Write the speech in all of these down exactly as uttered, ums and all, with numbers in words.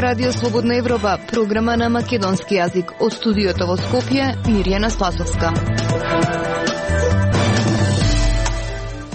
Радио Слободна Европа, програма на македонски јазик. Од студиото во Скопје, Мирјана Спасовска.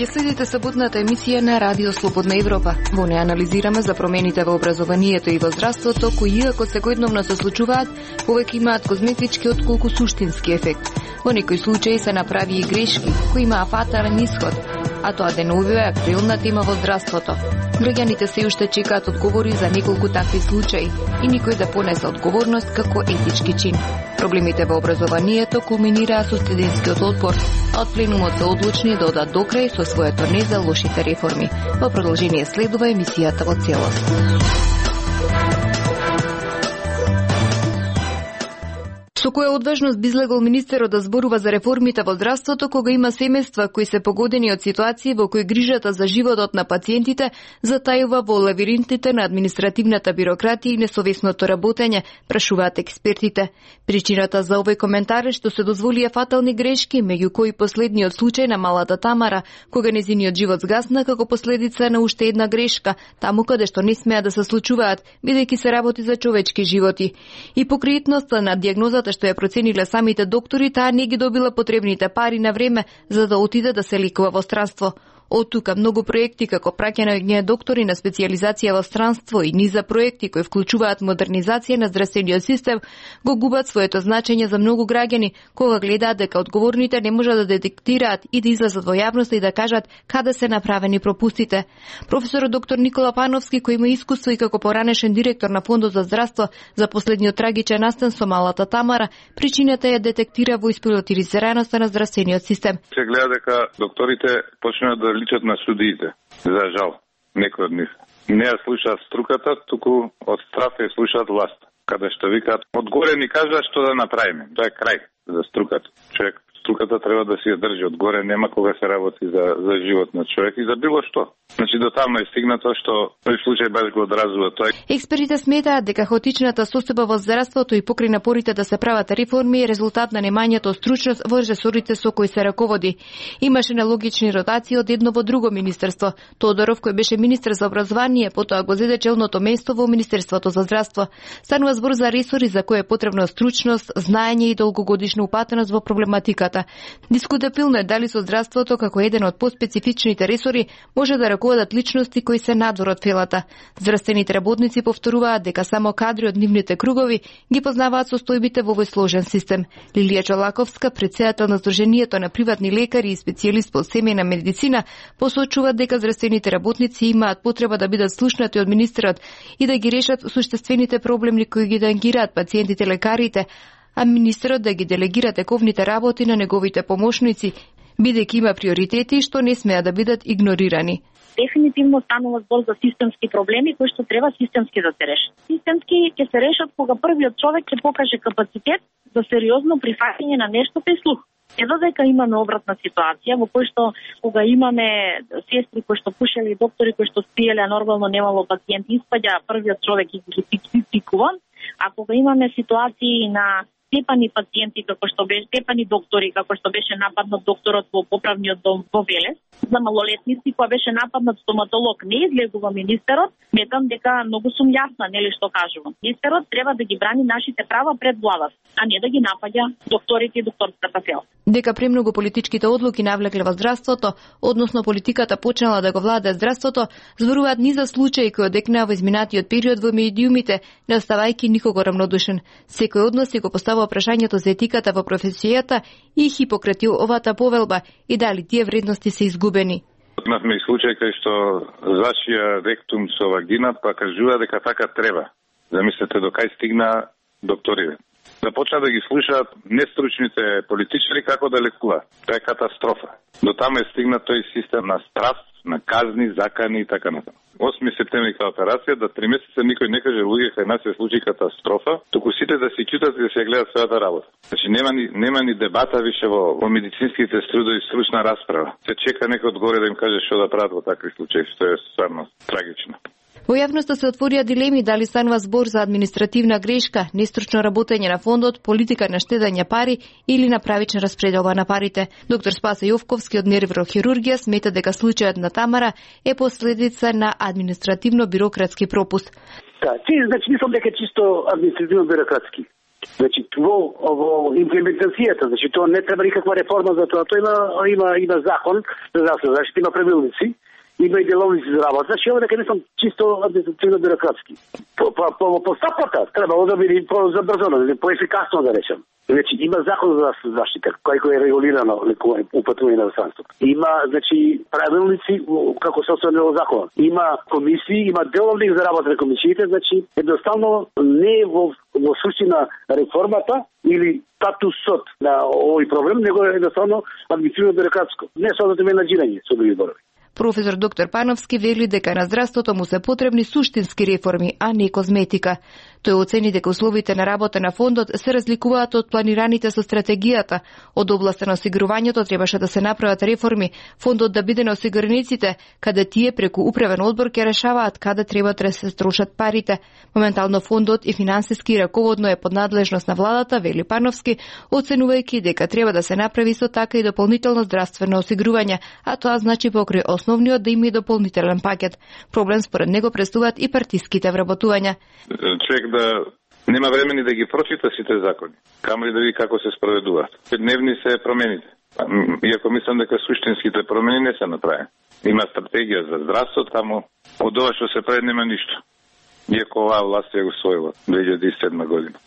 Ја следите саботната емисија на Радио Слободна Европа. Во неја анализираме за промените во образованието и во здравството, кои иако секојдневно се случуваат, повеќе имаат козметички отколку суштински ефект. Во некои случаи се направи и грешки, кои имаа фатален исход, а тоа денувува актуелна тема во здравството. Граѓаните се уште чекаат одговори за неколку такви случаи и никој да понесе одговорност како етички чин. Проблемите во образованието кулминираа со студентскиот отпор, а од пленумот се одлучни да одат до крај со своето не за лошите реформи. Во продолжение следува емисијата во целост. Со која одважност би излегол министерот да зборува за реформите во здравството кога има семејства кои се погодени од ситуации во кои грижата за животот на пациентите затајува во лавиринтите на административната бирократија и несовесното работење, прашуваат експертите. Причината за овој коментар е што се дозволија фатални грешки, меѓу кои последниот случај на малата Тамара, кога нејзиниот живот згасна како последица на уште една грешка, таму каде што не смеа да се случуваат, бидејќи се работи за човечки животи. И покриетноста на дијагнозата што ја процениле самите доктори, таа не ги добила потребните пари на време за да отиде да се лекува во странство. Од тука многу проекти како праќање доктори на специјализација во странство и низа проекти кои вклучуваат модернизација на здравствениот систем го губат своето значење за многу граѓани кога гледаат дека одговорните не можат да детектираат и да излезат во јавноста и да кажат каде се направени пропустите. Професорот доктор Никола Пановски, кој има искуство и како поранешен директор на Фондот за здравство за последниот трагичен настан со малата Тамара, причината ја детектира во испилотизираноста на здравствениот систем. Се гледа дека докторите почнуваат да личат на судиите. За жал, некои од нив. Не ја слушаат струката, туку од страф ја слушаат власт. Каде што викаат, одгоре ни кажа што да направиме. Тоа е крај за струката. Човек, струката треба да си ја држи одгоре, нема кога се работи за, за живот на човек и за било што. Значи до таму е стигнато што тој случај баш го одразува тоа. Експертите сметаат дека хаотичната состојба во здравството и покрај напорите да се прават реформи е резултат на немањето стручност во ресорите со кои се раководи. Имаше нелогични ротации од едно во друго министерство. Тодоров, кој беше министер за образование, потоа го зеде челното место во Министерството за здравство. Станува збор за ресори за кои е потребна стручност, знаење и долгогодишна упатеност во проблематиката. Дискутабилно е дали со здравството како еден од поспецифичните ресори може да раководат личности кои се надвор од фелата. Здравствените работници повторуваат дека само кадри од нивните кругови ги познаваат состојбите во овој сложен систем. Лилија Чолаковска, претседател на Сдруженијето на приватни лекари и специјалист по семејна медицина, посочува дека здравствените работници имаат потреба да бидат слушнати од министерот и да ги решат суштествените проблеми кои ги тангираат пациентите лекарите, а министерот да ги делегира тековните работи на неговите помошници, бидејќи има приоритети што не смеа да бидат игнорирани. Дефинитивно станува збор за системски проблеми кои што треба системски да се решат. Системски ќе се решат кога првиот човек ќе покаже капацитет за сериозно прифаќање на нештото и слух. Е додека имаме обратна ситуација во кој што кога имаме сестри кои што пушеле и доктори кои што спиеле, а нормално немало пациенти, испаѓа првиот човек и ги пикува, а кога имаме ситуации на степани пациенти како што беше степани доктори како што беше нападнат докторот во поправниот дом во Велес, за малолетници која беше нападнат стоматолог, не излегува министерот, сметам дека многу сум јасна нели што кажувам. Министерот треба да ги брани нашите права пред владата, а не да ги напаѓа докторите и докторската сел. Дека премногу политичките одлуки навлекле во здравството, односно политиката почнала да го владае здравството, зборуваат низа случаи кои одекнаа во изминатиот период во медиумите, не оставајќи никого равнодушен. Секој од нас си го поставува прашањето за етиката во професијата и Хипократиовата повелба и дали тие вредности се изгубени. Имавме и случај кај што зашија ректум со вагина, па кажува дека така треба. Замислете до кај стигна докторите. Започна да ги слушаат нестручните политичари како да лекуваат. Тоа е катастрофа. До таму е стигнат тој систем на страв, на казни, закани и така натаму. осми септември кај операција, да три месеца никој не каже луѓе кај нас се случи катастрофа, туку сите да си ќутат и да се гледат својата работа. Значи нема ни нема ни дебата више во, во медицинските трудови, стручна расправа. Се чека некој одгоре да им каже што да прават во такви случаи, што е стварно трагично. Во јавноста се отворија дилеми дали станува збор за административна грешка, нестручно работење на фондот, политика на штедење пари или на правична распределба на парите. Доктор Спасе Јовковски од неврохирургија смета дека случајот на Тамара е последица на административно-бирократски пропуст. Да, ти, значи, мислам дека чисто административно-бирократски. Значи, во, во имплементацијата, значи, тоа не треба никаква реформа за тоа. Тоа има, има, има закон за здравствена заштита, има правилници, има и деловници за работа. Значи, ова дека не сум чисто административно-бирократски. По, по, по, по стапата требало да биде по-забрзано, по-ефикасно да речем. Значи, има закон за заштита, кој кој е регулирано упатување на здравството. Има, значи, правилници како се останува во закон. Има комисии, има деловник за работа на комисиите, значи, едноставно не е во, во суштина реформата или статусот на овој проблем, него е едноставно административно-бирократско. Не со менаџирање, со други зборови. Професор доктор Пановски вели дека на здравството му се потребни суштински реформи, а не козметика. Тој оцени дека условите на работа на фондот се разликуваат од планираните со стратегијата. Од областа на осигурувањето требаше да се направат реформи, фондот да биде на осигурениците, каде тие преку управен одбор ќе решаваат каде треба да се трошат парите. Моментално фондот и финансиски раководно е под надлежност на владата, вели Пановски, оценувајќи дека треба да се направи со така и дополнително здравствено осигурување, а тоа значи покрај основниот да има и дополнителен пакет. Проблем според него представуваат и партиските вработувања. Човек да нема времени да ги прочита сите закони, камо ли да види како се спроведуваат. Дневни се промените. Иако мислам дека суштинските промени не се направени. Има стратегија за здравство, таму од ова што се прави нема ништо. Иако оваа власт ја го усвоила две илјади и седма година.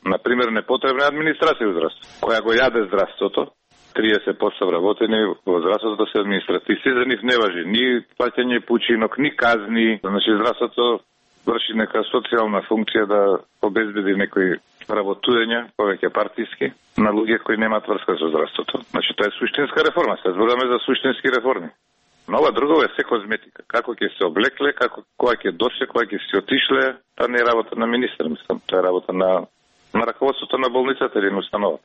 Например, непотребна администрација во здравство, која го јаде здравството. триесет проценти вработени во здравството се административци, за нив не важи ни плаќање починок, ни казни. Значи здравството врши нека социјална функција да обезбеди некои работувања, повеќе партиски, на луѓе кои немаат врска со здравството. Значи тоа е суштинска реформа, се зборуваме за суштински реформи. Но ова друго е се козметика. Како ќе се облекле, како кога ќе дошле, кога ќе се отишле, тоа не е работа на министер, мислам, тоа е работа на на раководството на болницата или на установата.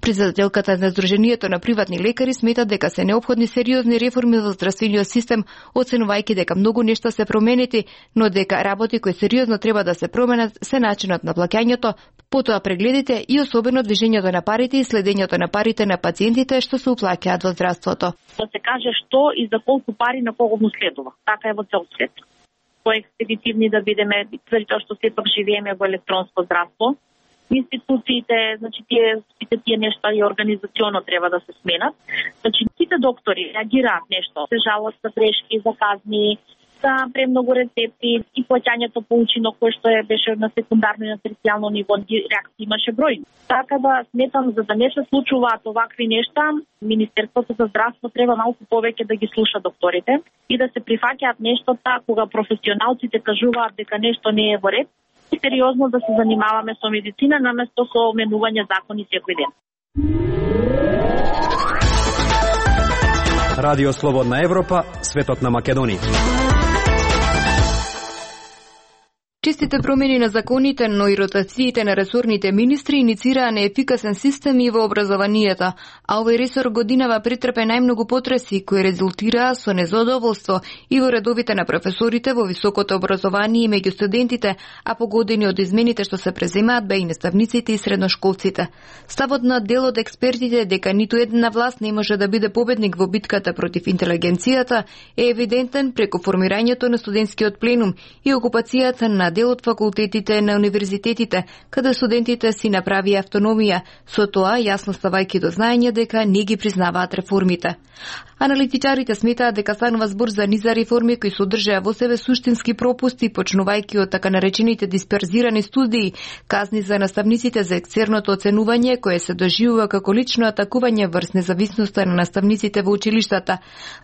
Председателката на Сдруженијето на приватни лекари смета дека се неопходни сериозни реформи во здравствениот систем, оценувајќи дека многу нешта се променети, но дека работи кои сериозно треба да се променат се начинот на плаќањето, потоа прегледите и особено движењето на парите и следењето на парите на пациентите што се уплаќаат во здравството. Да се каже што и за колку пари на кого му следува. Така е во цел свет. Поекспедитивни да бидеме, заради тоа што сепак живееме во електронско здравство. Институциите, значи тие сите тие нешта и организационно треба да се сменат. Значи сите доктори реагираат нешто, се жалат за грешки, за казни, за премногу рецепти и плаќањето по учинок кој што е беше на секундарно и на терцијално ниво, реакции имаше број. Така да сметам за да не се случуваат овакви нешта, Министерството за здравство треба малку повеќе да ги слуша докторите и да се прифаќаат нештата кога професионалците кажуваат дека нешто не е во ред. И сериозно да се занимаваме со медицина наместо со менување закони секој ден. Радио Слободна Европа, светот на Македонија. Чистите промени на законите, но и ротациите на ресорните министри иницираа неефикасен систем и во образованието, а овој ресор годинава претрпе најмногу потреси кои резултираа со незадоволство и во редовите на професорите во високото образование и меѓу студентите, а погодени од измените што се преземаат бе и наставниците и средношколците. Ставот на дел од експертите дека ниту една власт не може да биде победник во битката против интелигенцијата е евидентен преку формирањето на студентскиот пленум и окупацијата на дел од факултетите на универзитетите, каде студентите си направија автономија, со тоа јасно ставајќи до знаење дека не ги признаваат реформите. Аналитичарите сметаат дека станува збор за низа реформи кои содржаа во себе суштински пропусти, почнувајќи од така наречените дисперзирани студии, казни за наставниците за екстерното оценување кое се доживува како лично атакување врз независноста на наставниците во училиштата.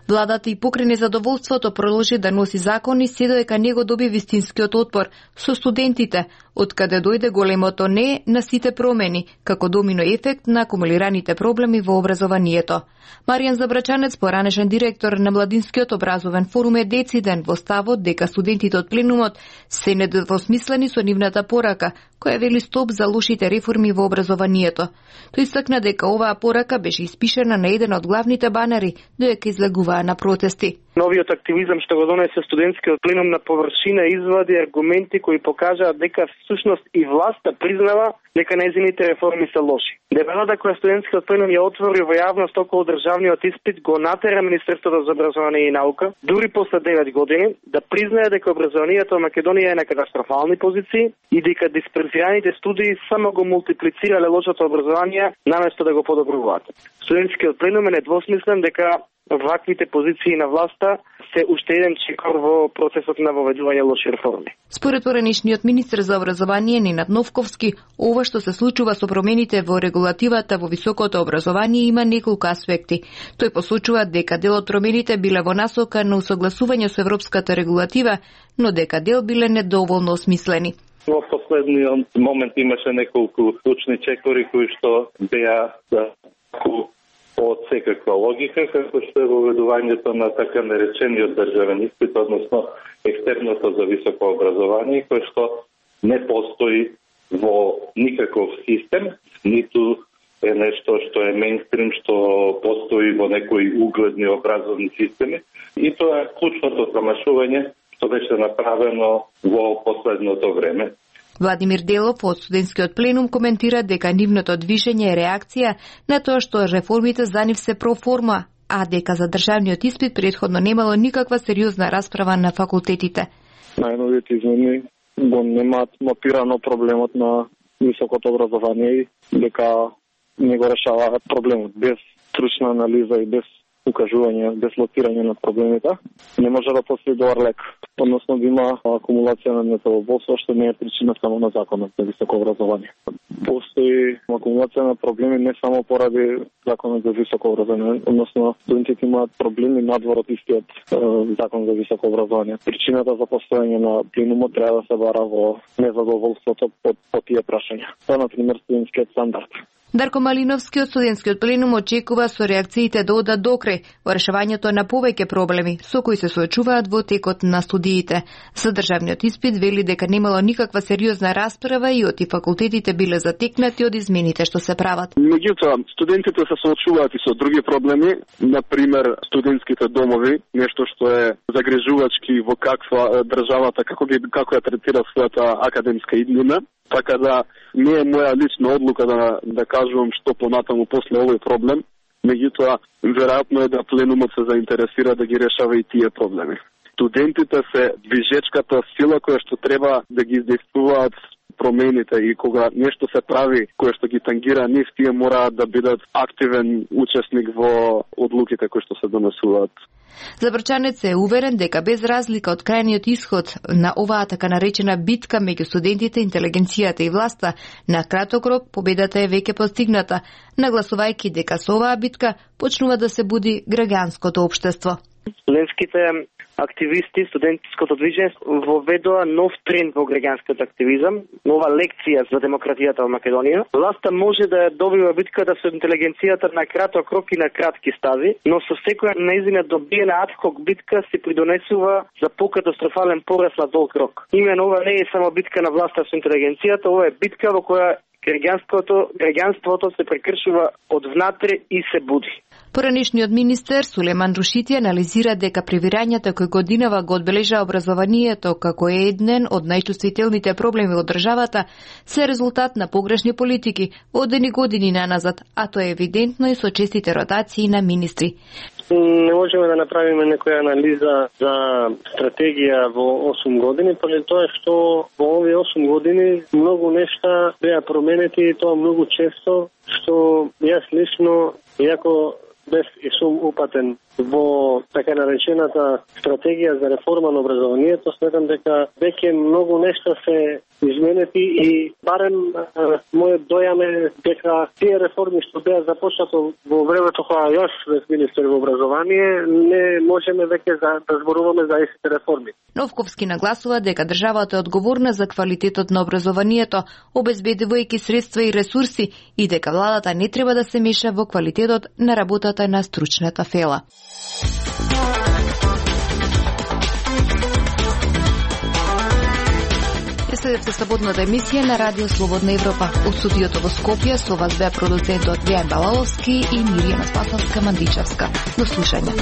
Владата и покрај незадоволството продолжи да носи закони се додека не го доби вистинскиот отпор со студентите, од каде дојде големото не на сите промени, како домино ефект на акумулираните проблеми во образованието. Маријан Забрачанец, поранешен директор на Младинскиот образовен форум, е дециден во ставот дека студентите од пленумот се недвосмислени со нивната порака, која вели стоп за лошите реформи во образованието. Тој истакна дека оваа порака беше испишана на еден од главните банери додека излегуваа на протести. Новиот активизам што го донесе студентскиот пленум на површина извади аргументи кои покажаат дека всушност и власта признава дека нејзините реформи се лоши. Дебелата која студентскиот пленум ја отвори во јавност околу државниот испит го натера Министерството за образование и наука, дури после девет години, да признае дека образованието во Македонија е на катастрофални позиции и дека дисперзираните студии само го мултиплицирале лошото образование наместо да го подобруваат. Студентскиот пленум е недвосмислен дека ваквите позиции на власта се уште еден чекор во процесот на воведување лоши реформи. Според поранишниот министер за образование Ненад Новковски, ова што се случува со промените во регулативата во високото образование има неколку аспекти. Тој посочува дека дел од промените биле во насока на усогласување со европската регулатива, но дека дел биле недоволно осмислени. Во последниот момент имаше неколку клучни чекори кои што беа да од секаква логика, како што е воведувањето на така наречениот државен испит, односно екстерното за високо образование, кој што не постои во никаков систем, ниту е нешто што е мејнстрим, што постои во некои угледни образовни системи. И тоа е клучното промашување што беше направено во последното време. Владимир Делов од студентскиот пленум коментира дека нивното движење е реакција на тоа што реформите за нив се проформа, а дека за државниот испит претходно немало никаква сериозна расправа на факултетите. Најновите измени го немаат мапирано проблемот на високото образование и дека не го решаваат проблемот без стручна анализа и без укажување, без лоцирање на проблемите. Не може да постои добар лек, односно да има акумулација на недоволство, што не е причина само на законот за високо образование. Постои акумулација на проблеми не само поради законот за високо образование, односно студентите имаат проблеми надвор од истиот е, закон за високо образование. Причината за постојање на пленумот треба да се бара во незадоволството по, по тие прашања. Тоа, например, студентскиот стандард. Дарко Малиновски од студентскиот пленум очекува со реакциите да одат докрај во решавањето на повеќе проблеми со кои се соочуваат во текот на студиите. За државниот испит вели дека немало никаква сериозна расправа и оти факултетите биле затекнати од измените што се прават. Меѓутоа, студентите се соочуваат и со други проблеми, например студентските домови, нешто што е загрижувачки во каква државата како ги како ја третира својата академска иднина. Така да не е моја лична одлука да, да кажувам што понатаму после овој проблем, меѓутоа веројатно е да пленумот се заинтересира да ги решава и тие проблеми. Студентите се движечката сила која што треба да ги издействуваат промените и кога нешто се прави кое што ги тангира нив, тие мораат да бидат активен учесник во одлуките кои што се донесуваат. Забрчанец е уверен дека без разлика од крајниот исход на оваа така наречена битка меѓу студентите, интелигенцијата и власта, на краток рок победата е веќе постигната, нагласувајќи дека со оваа битка почнува да се буди граѓанското општество. Студентските активисти, студентското движење воведоа нов тренд во граѓанскиот активизам, нова лекција за демократијата во Македонија. Власта може да ја добива битката со интелигенцијата на краток рок и на кратки стави, но со секоја нејзина добиена адхок битка се придонесува за покатастрофален пораз на долг рок. Имено ова не е само битка на власта со интелигенцијата, ова е битка во која граѓанството, граѓанството се прекршува од внатре и се буди. Поранишниот министер Сулеман Рушити анализира дека превирањата кои годинава го одбележа образованието како е еден од најчувствителните проблеми во државата се резултат на погрешни политики одени години наназад, а тоа е евидентно и со честите ротации на министри. Не можеме да направиме некоја анализа за стратегија во осум години, поради тоа што во овие осум години многу нешта беа променети и тоа многу често, што јас лично, иако без и сум упатен во така наречената стратегија за реформа на образованието, сметам дека веќе многу нешта се изменети и барем мојот дојам е дека тие реформи што беа започнато во времето кога јас бев министер во образование, не можеме веќе да, да зборуваме за истите реформи. Новковски нагласува дека државата е одговорна за квалитетот на образованието, обезбедувајќи средства и ресурси, и дека владата не треба да се меша во квалитетот на работата на стручната фела. Следевте слободната емисија на Радио Слободна Европа. Од студиото во Скопје со вас беа продуцентот Дејан Балаловски и Мирјана Спасовска Мандичевска. До слушање.